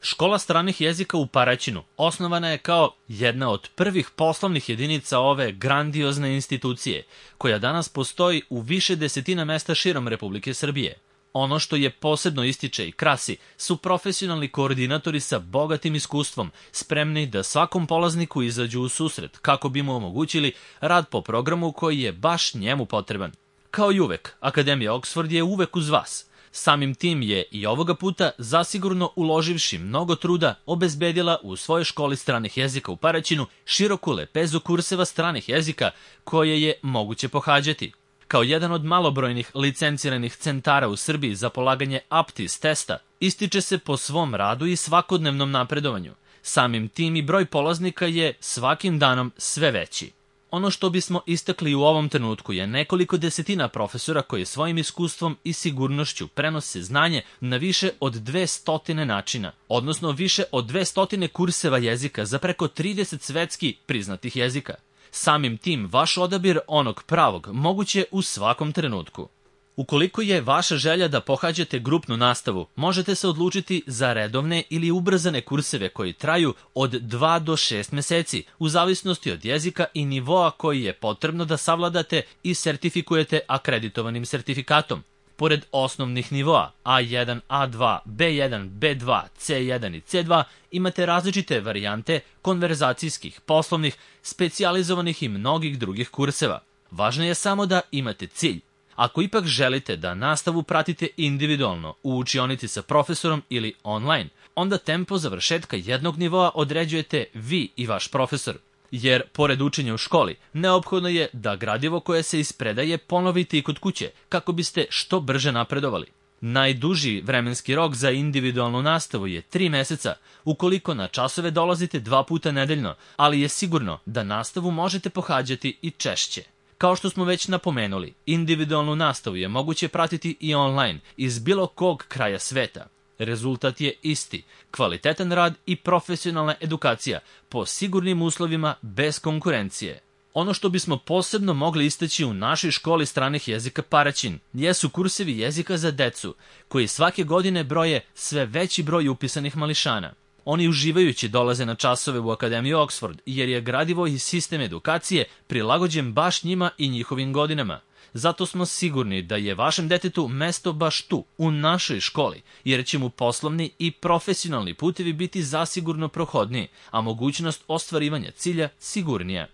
Škola stranih jezika u Paraćinu osnovana je kao jedna od prvih poslovnih jedinica ove grandiozne institucije, koja danas postoji u više desetina mesta širom Republike Srbije. Ono što je posebno ističe i krasi su profesionalni koordinatori sa bogatim iskustvom, spremni da svakom polazniku izađu u susret kako bi mu omogućili rad po programu koji je baš njemu potreban. Kao i uvek, Akademija Oxford je uvek uz vas. Samim tim je i ovoga puta zasigurno uloživši mnogo truda obezbedila u svojoj školi stranih jezika u Paraćinu široku lepezu kurseva stranih jezika koje je moguće pohađati. Kao jedan od malobrojnih licenciranih centara u Srbiji za polaganje APTIS testa, ističe se po svom radu i svakodnevnom napredovanju. Samim tim i broj polaznika je svakim danom sve veći. Ono što bismo istakli u ovom trenutku je nekoliko desetina profesora koji svojim iskustvom i sigurnošću prenose znanje na više od 200 načina, odnosno više od 200 kurseva jezika za preko 30 svetski priznatih jezika. Samim tim, vaš odabir onog pravog moguće u svakom trenutku. Ukoliko je vaša želja da pohađate grupnu nastavu, možete se odlučiti za redovne ili ubrzane kurseve koji traju od 2 do 6 meseci, u zavisnosti od jezika i nivoa koji je potrebno da savladate i sertifikujete akreditovanim sertifikatom. Pored osnovnih nivoa A1, A2, B1, B2, C1 i C2 imate različite varijante konverzacijskih, poslovnih, specijalizovanih i mnogih drugih kurseva. Važno je samo da imate cilj. Ako ipak želite da nastavu pratite individualno u učionici sa profesorom ili online, onda tempo završetka jednog nivoa određujete vi i vaš profesor. Jer, pored učenja u školi, neophodno je da gradivo koje se ispredaje ponovite i kod kuće, kako biste što brže napredovali. Najduži vremenski rok za individualnu nastavu je 3 meseca, ukoliko na časove dolazite 2 puta nedeljno, ali je sigurno da nastavu možete pohađati i češće. Kao što smo već napomenuli, individualnu nastavu je moguće pratiti i online iz bilo kog kraja sveta. Rezultat je isti, kvalitetan rad i profesionalna edukacija po sigurnim uslovima bez konkurencije. Ono što bismo posebno mogli istaći u našoj školi stranih jezika Paraćin jesu kursevi jezika za decu, koji svake godine broje sve veći broj upisanih mališana. Oni uživajući dolaze na časove u Akademiju Oxford, jer je gradivo i sistem edukacije prilagođen baš njima i njihovim godinama. Zato smo sigurni da je vašem detetu mesto baš tu, u našoj školi, jer će mu poslovni i profesionalni putevi biti zasigurno prohodniji, a mogućnost ostvarivanja cilja sigurnija.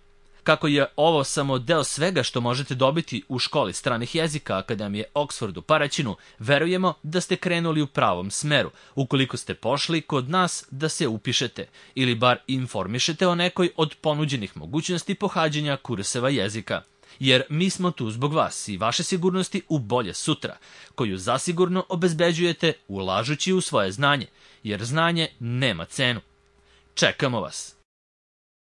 Kako je ovo samo deo svega što možete dobiti u školi stranih jezika Akademije Oxford u Paraćinu, verujemo da ste krenuli u pravom smeru, ukoliko ste pošli kod nas da se upišete, ili bar informišete o nekoj od ponuđenih mogućnosti pohađanja kurseva jezika. Jer mi smo tu zbog vas i vaše sigurnosti u bolje sutra, koju zasigurno obezbeđujete ulažući u svoje znanje, jer znanje nema cenu. Čekamo vas!